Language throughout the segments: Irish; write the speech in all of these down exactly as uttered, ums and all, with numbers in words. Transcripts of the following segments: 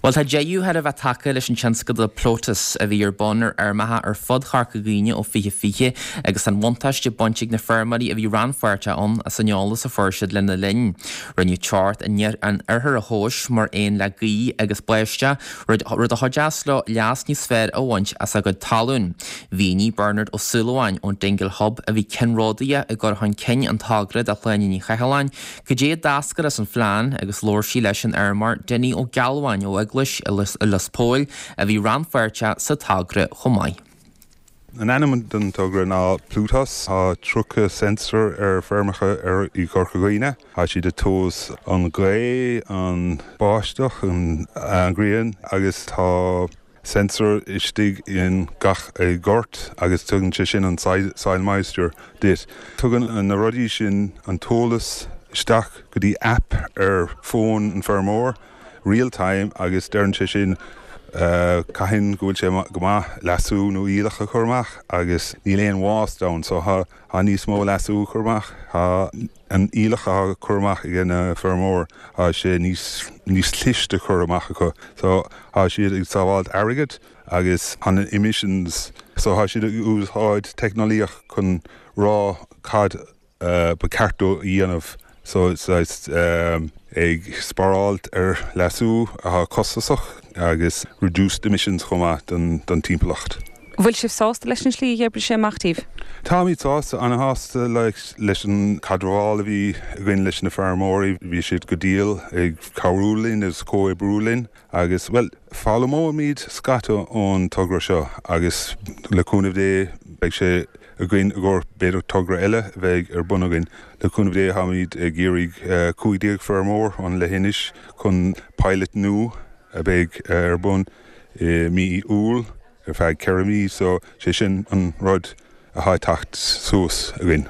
Well tá deireadh thar a bheith tagtha leis an tionscadal Ploutus a bhí ar bun ar fheirmeacha ar fud Chorca Dhuibhne ó fiche fiche agus an bhuntáiste bainte ag na feirmeoirí a bhí rannpháirteach ann as an eolas a fuair siad lena linn. Rinneadh teocht an ithir a thomhas mar aon le gaoth agus báisteach rud a chuideos leo leas níos fearr a bhaint as a gcuid talún. Mhínigh Bernard Ó Súilleabháin ón Dingle Hub a bhí ceannródaíoch i gcur chun cinn an togra do Shláine Ní Chathalláin, cad é a d'eascair as an phlean agus labhair sí leis an fheirmeoir Dinny Ó Gealbháin ó Eaglais i Lios Póil a bhí rannpháirteach sa togra chomh maith. An ainm don togra ná Ploutus tá tríocha sensor ar feirmeacha ar i gCorca Dhuibhne. Tá siad ag tomhas an ghaoth an báisteach an ghrian agus tá sensor istigh in gach gort agus tugann sé sin an soil moisture duit. Tugann na rudaí sin an t-eolas isteach go dtí app ar fón an feirmeoir real time agus deireann sé sin uh, cathain go bhfuil sé go maith leasú nó aoileach a chur amach agus níl aon waste ann so tá tá níos mó leasú chur amach tá an aoileach a chur amach ag na feirmeoir tá sé níos níos cliste chur amach acu so tá siad ag sábháilt airgead agus an emissions so tá siad ag úsáid teicneolaíocht chun rá cad uh, ba cheart dó a dhéanamh so it's um, ag spáráilt ar leasú atá costasach agus reduced emissions chomh maith don, don timpeallacht. Bhfuil sibh sásta leis an slí a d'oibrigh sé amach daoibh? Táimid sásta an-sásta leis an caidreamh a bhí againn leis na feirmeoirí, bhí siad go diail ag cabhrú linn is comhoibriú linn agus well foghlaimeoimid scata ón togra seo agus le cúnamh Dé beidh sé againn i gcomhair b'fhéidir togra eile a bheidh ar bun againn le cúnamh Dé táimid ag iarraidh cúig déag feirmeoir an leithinis chun pilot nua a bheidh ar bun i mí Iúil ar feadh ceithre mhí so sé sin an rud atá ag teacht suas againn.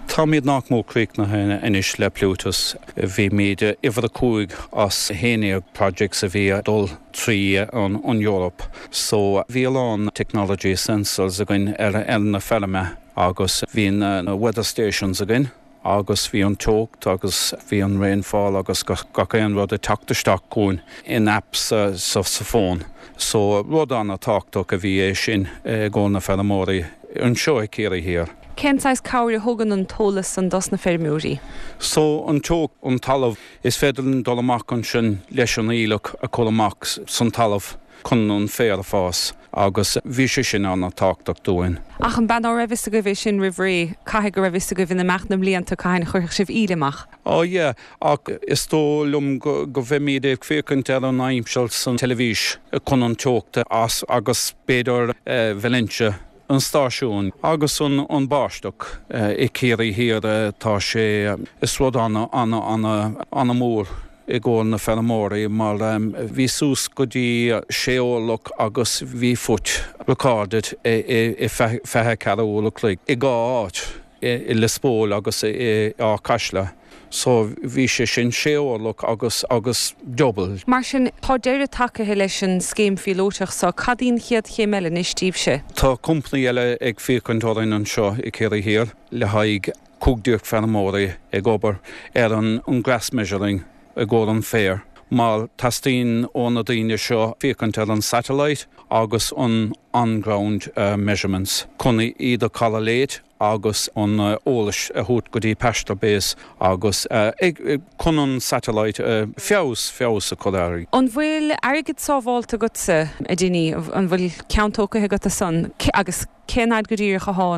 Táimid nach mór críochnaithe anois le Ploutus bhíomar uimhir a cúig as haon déag projects a bhí dul trí an, an Europe. So bhí a lán technology sensors againn ar ar na feirme agus bhí na weather stations againn agus bhí an teocht agus bhí an rainfall agus gach aon rud ag teacht isteach chugainn in apps sa, sa, sa fón. So rud an-tábhachtach a bhí é sin do na feirmeoirí anseo i Ciarraí Thiar. Cén saghas cabhair a thugann an t-eolas san dos na feirmeoirí? So an teocht an talamh is féidir linn dul amach ansin leis an aoileach a chur amach san talamh chun an féar a fás agus bhí sé sin an-tábhachtach dúinn. Ach an bean á raibh fhios agaibh é sin roimh ré caithfidh go raibh fhios agaibh in imeacht na mblianta cathain a chuirfeadh sibh aoileach amach. Ó yeah, ach is dóigh liom go, go bhfeimid ag féachaint ar an aimsir san teilifís chun an teochta as agus b'fhéidir uh, Valentia an stáisiún agus an, an báisteach uh, i Ciarraí Thiar uh, tá sé is rud an an an an-mhór i gcomhair na feirmeoirí mar um, bhí suas go dtí sé orlach agus bhí foot recorded i, i, i fiche ceathair uair a chloig i dhá áit i, i Lios Póil agus i, i Áth Caisle. So bhí sé sin sé orlach agus agus double. Mar sin tá deireadh tagtha leis an scéim phíolótach so cad í an chéad chéim eile anois daoibhse. Tá company eile ag féachaint orainn anseo i Ciarraí Thiar le haghaidh cúig déag feirmeoirí ag obair ar an, an grass measuring i gcomhair an féar. Mar teastaíonn ó na daoine seo féachaint ar an satellite agus an on-ground uh, measurements. Chun iad a correlate agus an uh, eolas a thabhairt go dtí PastureBase agus uh, ag, ag, chun an satellite uh, feabhas feabhas a chur air. An bhfuil airgead sábháilte agatsa a Dinny an bhfuil ceann tógtha agat san agus cén fhad go díreach atá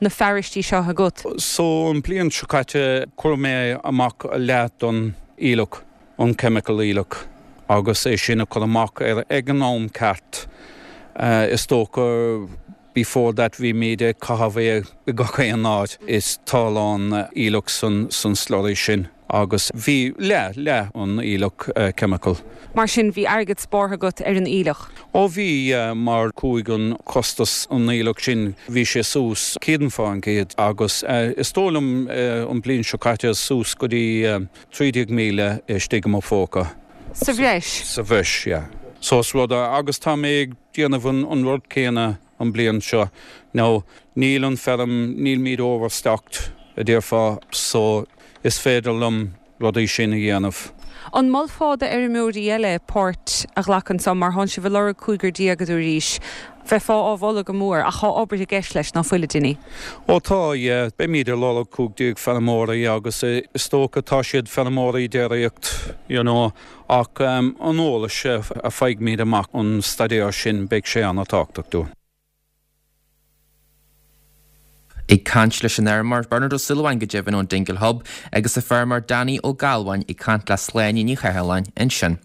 na feistí seo agat. So an bliain seo caite chuir mé amach leath don aoileach an chemical aoileach agus é sin a chur amach ar ag an am ceart. Uh, is dócha before that bhí mé ag caitheamh i gach aon áit is tá a lán aoileach san, san slurry sin agus bhí le le an aoileach uh, chemical. Mar sin bhí airgead spártha agat ar an aoileach. Ó bhí uh, mar chuaigh an costas an aoileach sin bhí sé suas céad faoin gcéad agus uh, is dóigh liom uh, an bliain seo caite suas go dtí uh, trí déag míle istigh i mo phóca. Sa bhreis? Sa bhreis, yeah. So is rud agus tá mé ag déanamh an, an rud céanna an bliain seo. Nó níl an feirm níl míid overstocked a déarfá so is féidir liom rudaí sin a dhéanamh. An molfá d'fheirmeoirí eile páirt a ghlacadh anso mar thánn sibh ag lorg cúigear déag a dúraís. Bheifeá á mholadh go mór, ach tá obair i gceist leis, ná fuil, a Dinny? Ó tá, yeah. Beimid ag lorg cúig déag feirmeoirí agus is dócha tá siad feirmeoirí déiríocht, you know, ach an eolas a faighimid amach ón staidéar sin beidh sé an-tábhachtach dúinn. Ag caint leis an fheirmeoir Bernard Ó Súilleabháin go deimhin ón Dingle Hub agus an feirmeoir Danny Ó Gealbháin ag caint le Sláine Ní Chathalláin ansin.